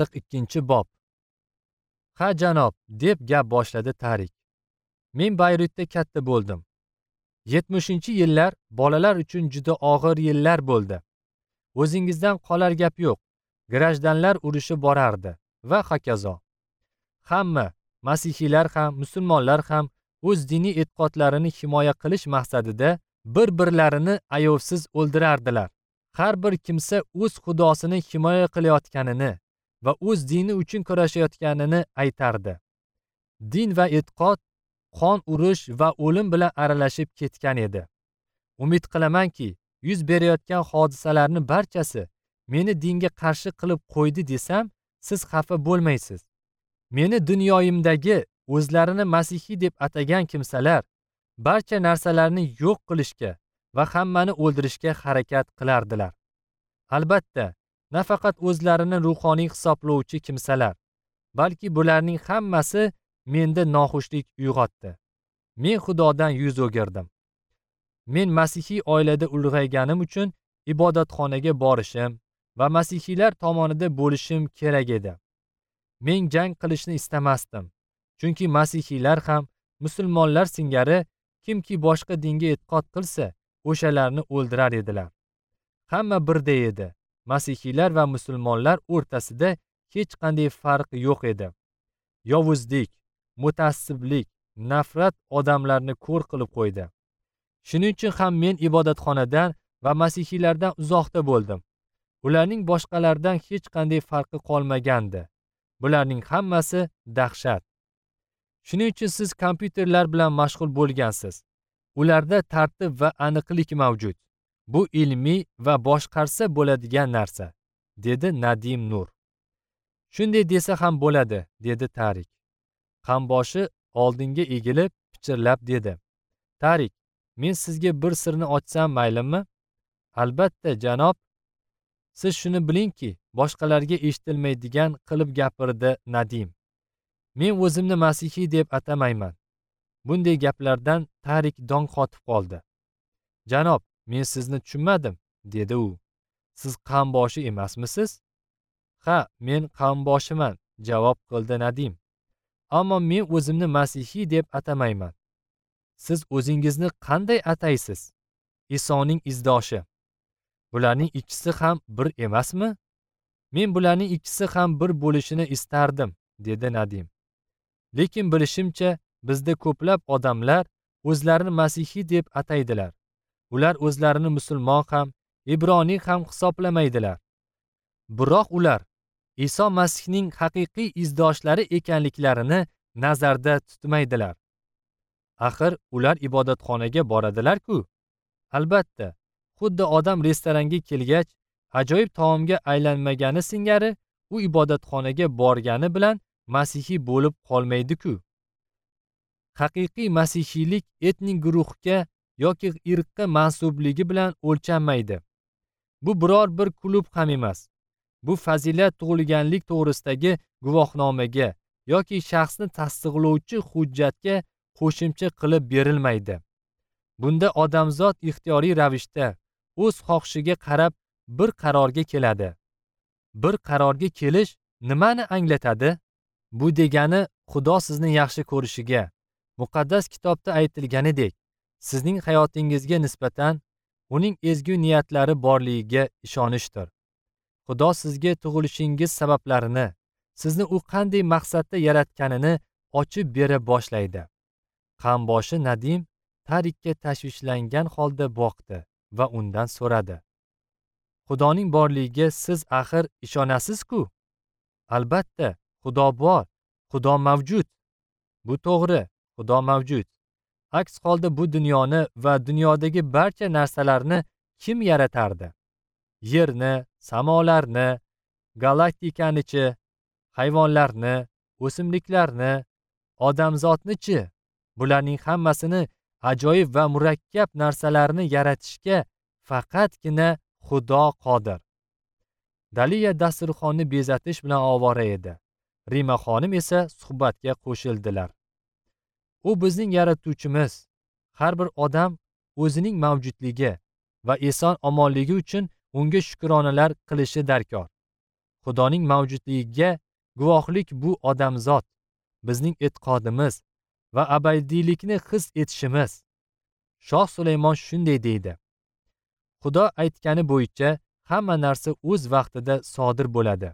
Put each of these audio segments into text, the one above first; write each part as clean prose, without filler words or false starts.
42-bob. Ha janob, deb gap boshladi Tarik. Men Bayrutda katta bo'ldim. 70-yillar bolalar uchun juda og'ir yillar bo'ldi. O'zingizdan qolar gap yo'q. Grajdanlar urushi borardi va hokazo. Hamma, masihiylar ham, musulmonlar ham o'z diniy e'tiqodlarini himoya qilish maqsadida bir-birlarini ayovsiz o'ldirardilar. Har bir kimsa o'z xudosini himoya qilayotganini va o'z dini uchun kurashayotganini aytardi. Din va e'tiqod qon urush va o'lim bilan aralashib ketgan edi. Umid qilamanki, yuz berayotgan hodisalarning barchasi meni dinga qarshi qilib qo'ydi desam, siz xafa bo'lmaysiz. Meni dunyoyimdagi o'zlarini masihiy deb atagan kimsalar barcha narsalarni yo'q qilishga va hammani o'ldirishga harakat qilardilar. Albatta, nafaqat o'zlarini ruhoniy hisoblovchi kimsalar, balki bularning hammasi menda noxushlik uyg'otdi. Men Xudodan yuz o'girdim. Men masihiy oilada ulg'ayganim uchun ibodatxonaga borishim va masihiylar tomonida bo'lishim kerak edi. Men jang qilishni istamasdim, chunki masihiylar ham musulmonlar singari kimki boshqa dinga e'tiqod qilsa, o'shalarni o'ldirar edilar. Hamma birday edi. Masihiylar va musulmonlar o'rtasida hech qanday farq yo'q edi. Yovuzlik, mutaassiblik, nafrat odamlarni ko'r qilib qo'ydi. Shuning uchun ham men ibodatxonadan va masihiylardan uzoqda bo'ldim. Ularning boshqalardan hech qanday farqi qolmagandi. Bularning hammasi dahshat. Shuning uchun siz kompyuterlar bilan mashg'ul bo'lgansiz. Ularda tartib va aniqlik mavjud. Bu ilmiy va boshqarsa bo'ladigan narsa, dedi Nadim Nur. Shunday desa ham bo'ladi, dedi Tarik. Qamboshi oldinga egilib pichirlab dedi. Tarik, men sizga bir sirni ochsam maylimi? Albatta, janob. Siz shuni bilingki, boshqalarga eshitilmaydigan qilib gapirdi Nadim. Men o'zimni masihiy deb atamayman. Bunday gaplardan Tarik dong qotib qoldi. Janob, men sizni tushunmadim, dedi u. Siz qamboshi emasmisiz? Ha, men qamboshiman, javob qildi Nadim. Ammo men o'zimni masihiy deb atamayman. Siz o'zingizni qanday ataysiz? Isoning izdoshi. Bularning ikkisi ham bir emasmi? Men bularning ikkisi ham bir bo'lishini istardim, dedi Nadim. Lekin bilishimcha, bizda ko'plab odamlar o'zlarini masihiy deb ataydilar. Ular o'zlarini musulmon ham, ibroniy ham hisoblamaydilar. Biroq ular Iso Masihning haqiqiy izdoshlari ekanliklarini nazarda tutmaydilar. Axir ular ibodatxonaga boradilar-ku. Albatta, xuddi odam restoranga kelgach, ajoyib taomga aylanmagani singari, u ibodatxonaga borgani bilan masihiy bo'lib qolmaydi-ku. Haqiqiy masihiylik etnik guruhga yoki irqqa mansubligi bilan o'lchanmaydi. Bu biror bir klub ham emas. Bu fazilat tug'ilganlik to'g'risidagi guvohnomaga yoki shaxsni tasdiqlovchi hujjatga qo'shimcha qilib berilmaydi. Bunda odamzod ixtiyoriy ravishda o'z xohishiga qarab bir qarorga keladi. Bir qarorga kelish nimani anglatadi? Bu degani Xudo sizni yaxshi ko'rishiga, muqaddas kitobda aytilganidek, sizning hayotingizga nisbatan uning ezgu niyatlari borligiga ishonishdir. Xudo sizga tug'ilishingiz sabablarini, sizni u qanday maqsadda yaratganini ochib bera boshlaydi. Qamboshi Nadim Tarikka tashvishlangan holda boqdi va undan so'radi. Xudoning borligiga siz axir ishonasiz-ku? Albatta, Xudo bor, Xudo mavjud. Bu to'g'ri, Xudo mavjud. Aks holda bu dunyoni va dunyodagi barcha narsalarni kim yaratardi? Yerni, samolarni, galaktikanichi, hayvonlarni, o'simliklarni, odamzodnichi? Bularning hammasini ajoyib va murakkab narsalarni yaratishga faqatgina Xudo qodir. Daliya dasturxonni bezatish bilan ovora edi. Rima xonim esa suhbatga qo'shildilar. U bizning yaratuvchimiz. Har bir odam o'zining mavjudligi va eson omonligi uchun unga shukronalar qilishi darkor. Xudoning mavjudligiga guvohlik bu odamzod, bizning e'tiqodimiz va abadiylikni his etishimiz. Shoh Sulaymon shunday deydi: Xudo aytgani bo'yicha hamma narsa o'z vaqtida sodir bo'ladi.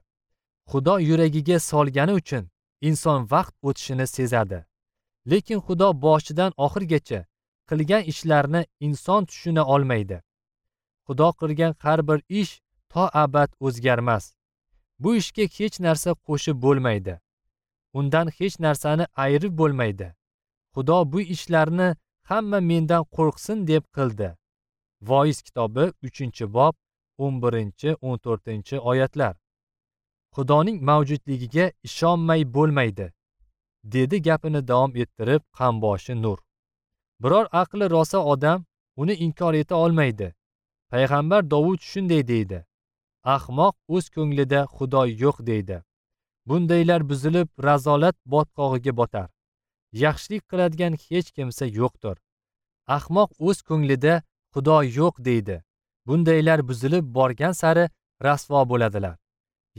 Xudo yuragiga solgani uchun inson vaqt o'tishini sezadi. Lekin Xudo boshidan oxirgacha qilgan ishlarni inson tushuna olmaydi. Xudo qilgan har bir ish to abad o'zgarmas. Bu ishga hech narsa qo'shib bo'lmaydi. Undan hech narsani ayirib bo'lmaydi. Xudo bu ishlarni hamma mendan qo'rqsin deb qildi. Voiz kitobi 3-bob 11-14 oyatlar. Xudoning mavjudligiga ishonmay bo'lmaydi, dedi gapini davom ettirib qamboshi Nur. Biror aqli rosa odam uni inkor eta olmaydi. Payg'ambar Dovud shunday deydi: Ahmoq o'z ko'nglida Xudo yo'q deydi. Bundaylar buzilib razolat botqog'iga botar. Yaxshilik qiladigan hech kimsa yo'qdir. Ahmoq o'z ko'nglida Xudo yo'q deydi. Bundaylar buzilib borgan sari rasvo bo'ladilar.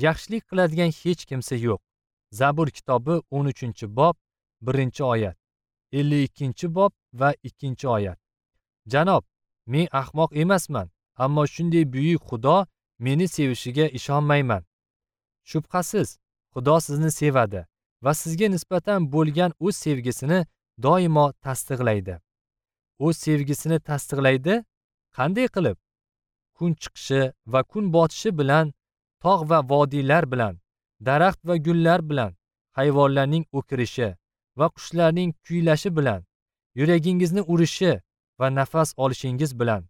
Yaxshilik qiladigan hech kimsa yo'q. Zabur kitobi 13-bob 1-oyat, 52-bob va 2-oyat. Janob, men ahmoq emasman, ammo shunday buyuk Xudo meni sevishiga ishonmayman. Shubhasiz, Xudo sizni sevadi va sizga nisbatan bo'lgan o'z sevgisini doimo tasdiqlaydi. O'z sevgisini tasdiqlaydi? Qanday qilib? Kun chiqishi va kun botishi bilan, tog' va vodiylar bilan, daraxt va gullar bilan, hayvonlarning o'kirishi va qushlarning kuylashi bilan, yuragingizni urishi va nafas olishingiz bilan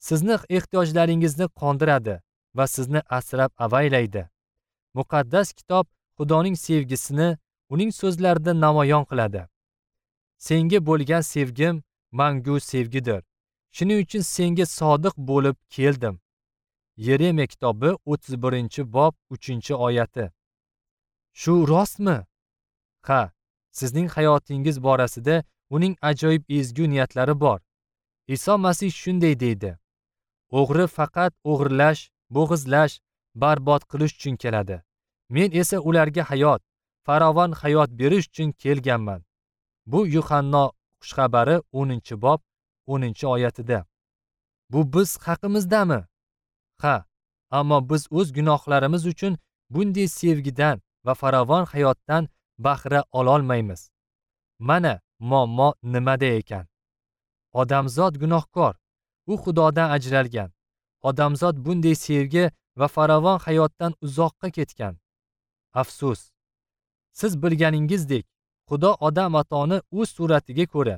sizni ehtiyojlaringizni qondiradi va sizni asrab avaylaydi. Muqaddas kitob Xudoning sevgisini uning so'zlarida namoyon qiladi. Senga bo'lgan sevgim mangu sevgidir. Shuning uchun senga sodiq bo'lib keldim. Yeremiya kitobi 31-bob 3-oyati. Shu rostmi? Ha, sizning hayotingiz borasida uning ajoyib ezgu niyatlari bor. Iso Masih shunday deydi: O'g'ri faqat o'g'irlash, bo'g'izlash, barbod qilish uchun keladi. Men esa ularga hayot, farovon hayot berish uchun kelganman. Bu Yuhanno xushxabari 10-bob 10-oyatida. Bu biz haqimizdami? Ha, ammo biz o'z gunohlarimiz uchun bunday sevgidan va farovon hayotdan bahra ololmaymiz. Mana muammo nimada ekan? Odamzod gunohkor, u Xudodan ajralgan. Odamzod bunday sevgi va farovon hayotdan uzoqqa ketgan. Afsus. Siz bilganingizdek, Xudo Odam atoni o'z suratiga ko'ra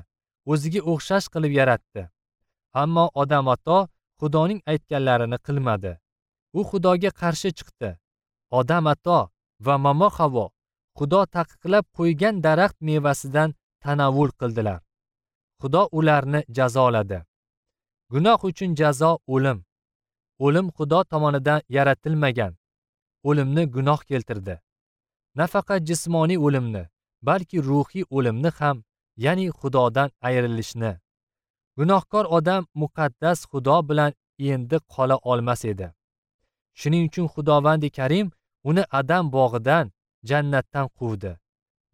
o'ziga o'xshash qilib yaratdi. Ammo Odam ato Xudoning aytganlarini qilmadi. U Xudoga qarshi chiqdi. Odam ato va Momo Havo Xudo taqiqlab qo'ygan daraxt mevasidan tanovul qildilar. Xudo ularni jazoladi. Gunoh uchun jazo o'lim. O'lim Xudo tomonidan yaratilmagan. O'limni gunoh keltirdi. Nafaqat jismoniy o'limni, balki ruhiy o'limni ham, ya'ni Xudodan ayrilishni. Gunohkor odam muqaddas Xudo bilan endi qola olmas edi. Shuning uchun Xudovandi Karim uni Adam bog'idan, jannatdan quvdi.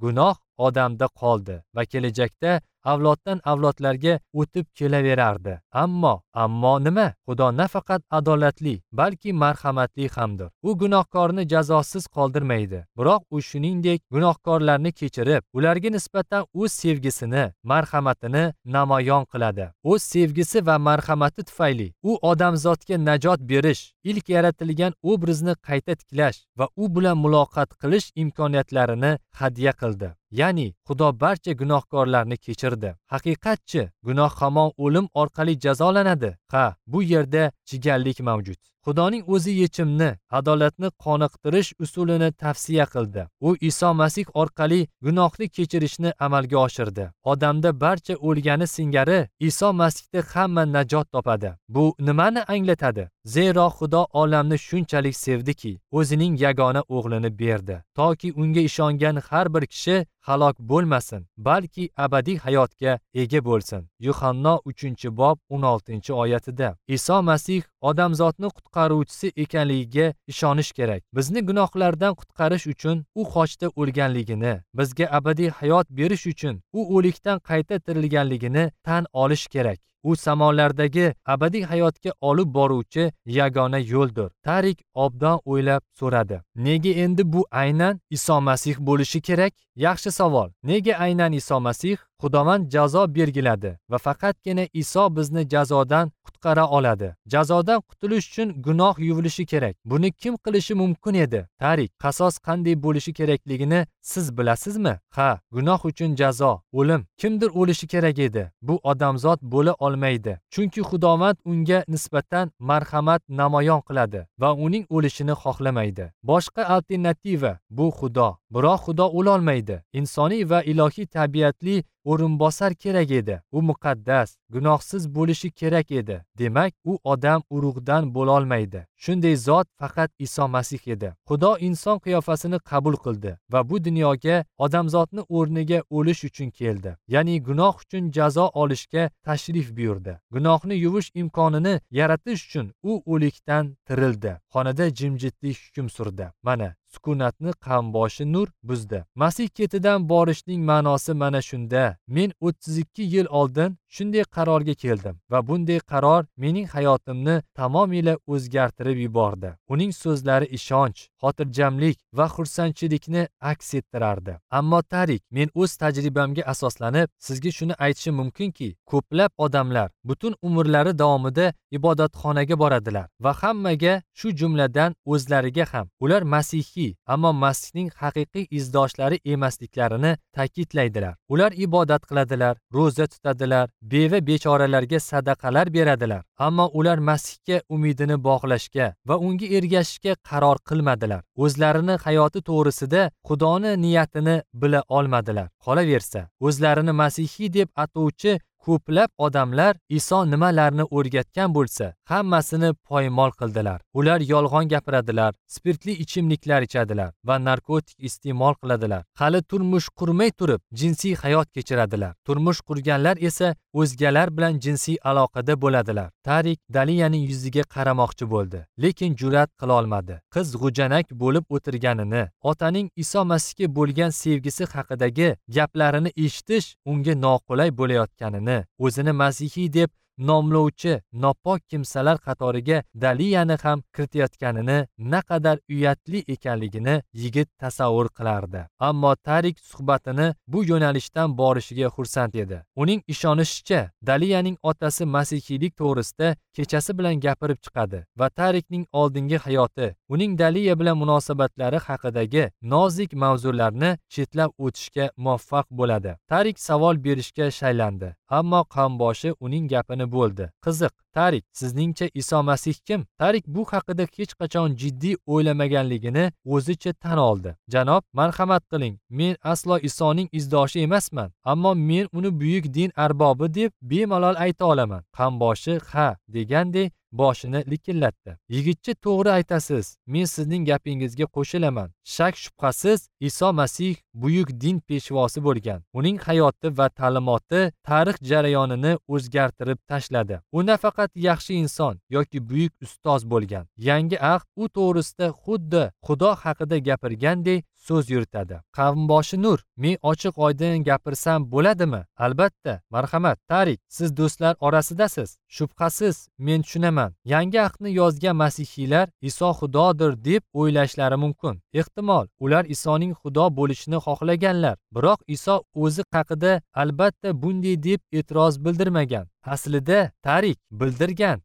Gunoh odamda qoldi va kelajakda avloddan avlodlarga o'tib kelaverardi. Ammo nima? Xudo nafaqat adolatli, balki marhamatli hamdir. U gunohkorni jazosiz qoldirmaydi. Biroq u shuningdek gunohkorlarni kechirib, ularga nisbatan o'z sevgisini, marhamatini namoyon qiladi. O'z sevgisi va marhamati tufayli u odamzodga najot berish, ilk yaratilgan obrazni qayta tiklash va u bilan muloqot qilish imkoniyatlarini hadya qildi. Ya'ni Xudo barcha gunohkorlarni kechirdi. Haqiqatchi, gunoh hamon o'lim orqali jazolanadi. Ha, bu yerda chigallik mavjud. Xudoning o'zi yechimni, adolatni qoniqtirish usulini tavsiya qildi. U Iso Masih orqali gunohni kechirishni amalga oshirdi. Odamda barcha o'lgani singari Iso Masihda hamma najot topadi. Bu nimani anglatadi? Zero Xudo olamni shunchalik sevdiki, o'zining yagona o'g'lini berdi, toki unga ishongan har bir kishi halok bo'lmasin, balki abadiy hayotga hayotga ega bo'lsin. Yuhanno 3-bob 16-oyatida. Iso Masih odamzodni qutqaruvchisi ekanligiga ishonish kerak. Bizni gunohlardan qutqarish uchun u xochda o'lganligini, bizga abadiy hayot berish uchun u o'likdan qayta tirilganligini tan olish kerak. U samolardagi abadiy hayotga olib boruvchi yagona yo'ldir. Tarik obdon o'ylab so'radi. Nega endi bu aynan Iso Masih bo'lishi kerak? Yaxshi savol. Nega aynan Iso Masih? Xudovand jazo belgiladi va faqatgina Iso bizni jazodan qutqara oladi. Jazodan qutulish uchun gunoh yuvilishi kerak. Buni kim qilishi mumkin edi? Tarik, qasos qanday bo'lishi kerakligini siz bilasizmi? Ha, gunoh uchun jazo, o'lim. Kimdir o'lishi kerak edi. Bu odamzod bo'la olmaydi. Chunki Xudovand unga nisbatan marhamat namoyon qiladi va uning o'lishini xohlamaydi. Boshqa alternativa bu Xudo. Biroq Xudo o'la olmaydi. Insoniy va ilohiy tabiatli o'rinbosar kerak edi. U muqaddas, gunohsiz bo'lishi kerak edi. Demak, u odam urug'idan bo'la olmaydi. Shunday zot faqat Iso Masih edi. Xudo inson qiyofasini qabul qildi va bu dunyoga odamzodni o'rniga o'lish uchun keldi. Ya'ni gunoh uchun jazo olishga tashrif buyurdi. Gunohni yuvish imkonini yaratish uchun u o'likdan tirildi. Xonada jimjitlik hukm surdi. Mana sukunatni qamboshi Nur buzdi. Masih ketidan borishning ma'nosi mana shunda. Men 32 yil oldin shunday qarorga keldim va bunday qaror mening hayotimni tamomila o'zgartirib yubordi. Uning so'zlari ishonch, xotirjamlik va xursandchilikni aks ettirardi. Ammo Tarik, men o'z tajribamga asoslanib sizga shuni aytishim mumkinki, ko'plab odamlar butun umrlari davomida ibodatxonaga boradilar va hammaga, shu jumladan o'zlariga ham, ular masihiy, ammo Masihning haqiqiy izdoshlari emasliklarini ta'kidlaydilar. Ular ibodat qiladilar, ro'za tutadilar, beva bechoralarga sadaqalar beradilar, ammo ular Masihga umidini bog'lashga va unga ergashishga qaror qilmadilar. O'zlarini hayoti to'g'risida Xudoni niyatini bila olmadilar. Qolaversa, o'zlarini masihiy deb atovchi ko'plab odamlar Iso nimalarni o'rgatgan bo'lsa, hammasini poymol qildilar. Ular yolg'on gapiradilar, spirtli ichimliklar ichadilar va narkotik iste'mol qiladilar. Hali turmush qurmay turib jinsiy hayot kechiradilar. Turmush qurganlar esa o'zgalar bilan jinsiy aloqada bo'ladilar. Tarik Daliyaning yuziga qaramoqchi bo'ldi, lekin jur'at qila olmadi. Qiz g'ujanak bo'lib o'tirganini, otaning Iso Masihga bo'lgan sevgisi haqidagi gaplarini eshitish unga noqulay bo'layotganini, o'zini masihiy deb nomlovchi nopok kimsalar qatoriga Daliyani ham kiritayotganini, naqadar uyatli ekanligini yigit tasavvur qilardi. Ammo Tarik suhbatini bu yo'nalishdan borishiga xursand edi. Uning ishonishicha, Daliyaning otasi masihiylik to'g'risida kechasi bilan gapirib chiqadi va Tarikning oldingi hayoti, uning Daliya bilan munosabatlari haqidagi nozik mavzularni chetlab o'tishga muvaffaq bo'ladi. Tarik savol berishga shaylandi, ammo qamboshi uning gapini bo'ldi. Qiziq, Tarik, sizningcha Iso Masih kim? Tarik bu haqida hech qachon jiddiy o'ylamaganligini o'zicha tan oldi. Janob, marhamat qiling, men aslo Isoning izdoshi emasman, ammo men uni buyuk din arbobi deb bemalol ayta olaman. Qamboshi ha degandek boshini likillatdi. Yigitcha, to'g'ri aytasiz, men sizning gapingizga qo'shilaman. Shak shubhasiz Iso Masih buyuk din peshvosi bo'lgan. Uning hayoti va ta'limoti tarix jarayonini o'zgartirib tashladi. U nafaqat yaxshi inson yoki buyuk ustoz bo'lgan. Yangi ahd u to'g'risida xuddi Xudo haqida gapirgandek so'z yuritadi. Qavmboshi Nur, men ochiq oydin gapirsam bo'ladimi? Albatta, marhamat. Tarik, siz do'stlar orasidasiz. Shubhasiz, men tushunaman. Yangi ahdni yozgan masihiylar Iso Xudodir deb o'ylashlari mumkin. Ehtimol, ular Isoning Xudo bo'lishini xohlaganlar. Biroq Iso o'zi haqida albatta bunday deb e'tiroz bildirmagan. Aslida Tarik bildirgan.